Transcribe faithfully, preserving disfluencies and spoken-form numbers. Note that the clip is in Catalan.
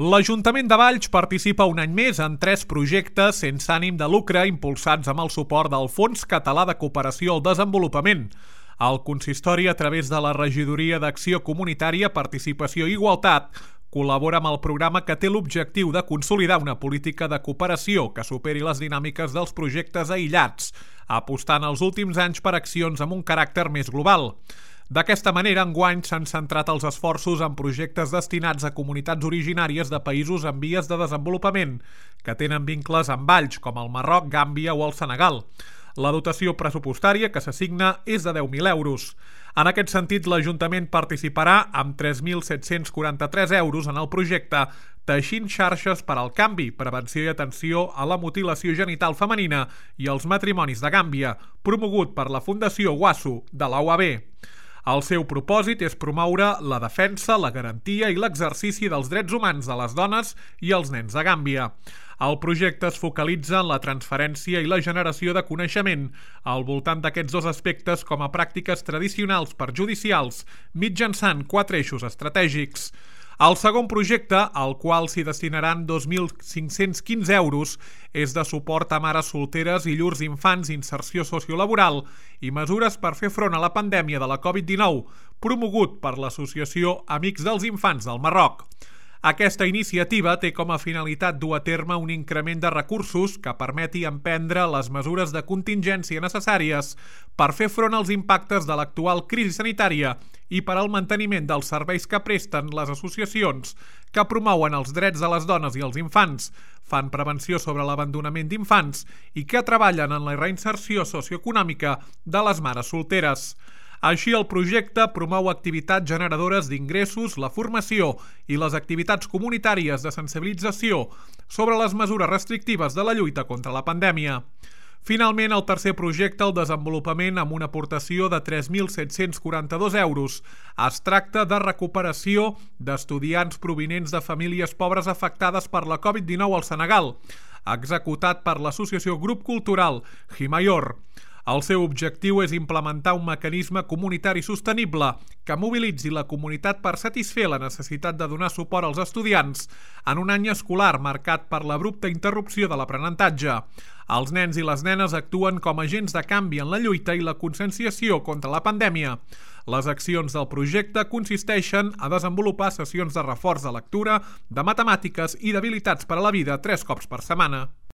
L'Ajuntament de Valls participa un any més en tres projectes sense ànim de lucre impulsats amb el suport del Fons Català de Cooperació al Desenvolupament. El consistori, a través de la Regidoria d'Acció Comunitària, Participació i Igualtat, col·labora amb el programa que té l'objectiu de consolidar una política de cooperació que superi les dinàmiques dels projectes aïllats, apostant els últims anys per accions amb un caràcter més global. D'aquesta manera, enguany s'han centrat els esforços en projectes destinats a comunitats originàries de països en vies de desenvolupament, que tenen vincles amb Valls, com el Marroc, Gàmbia o el Senegal. La dotació pressupostària que s'assigna és de deu mil euros. En aquest sentit, l'Ajuntament participarà amb tres mil set-cents quaranta-tres euros en el projecte Teixint xarxes per al canvi, prevenció i atenció a la mutilació genital femenina i els matrimonis de Gàmbia, promogut per la Fundació Wasu de la U A B. El seu propòsit és promoure la defensa, la garantia i l'exercici dels drets humans de les dones i els nens de Gàmbia. El projecte es focalitza en la transferència i la generació de coneixement al voltant d'aquests dos aspectes com a pràctiques tradicionals perjudicials mitjançant quatre eixos estratègics. El segon projecte, al qual s'hi destinaran dos mil cinc-cents quinze euros, és de suport a mares solteres i llurs infants, inserció sociolaboral i mesures per fer front a la pandèmia de la covid dinou, promogut per l'Associació Amics dels Infants del Marroc. Aquesta iniciativa té com a finalitat dur a terme un increment de recursos que permeti emprendre les mesures de contingència necessàries per fer front als impactes de l'actual crisi sanitària i per al manteniment dels serveis que presten les associacions que promouen els drets de les dones i els infants, fan prevenció sobre l'abandonament d'infants i que treballen en la reinserció socioeconòmica de les mares solteres. Així, el projecte promou activitats generadores d'ingressos, la formació i les activitats comunitàries de sensibilització sobre les mesures restrictives de la lluita contra la pandèmia. Finalment, el tercer projecte, el desenvolupament amb una aportació de tres mil set-cents quaranta-dos euros. Es tracta de recuperació d'estudiants provinents de famílies pobres afectades per la covid dinou al Senegal, executat per l'associació Grup Cultural Himayor. El seu objectiu és implementar un mecanisme comunitari sostenible que mobilitzi la comunitat per satisfer la necessitat de donar suport als estudiants en un any escolar marcat per l'abrupta interrupció de l'aprenentatge. Els nens i les nenes actuen com a agents de canvi en la lluita i la conscienciació contra la pandèmia. Les accions del projecte consisteixen a desenvolupar sessions de reforç de lectura, de matemàtiques i d'habilitats per a la vida tres cops per setmana.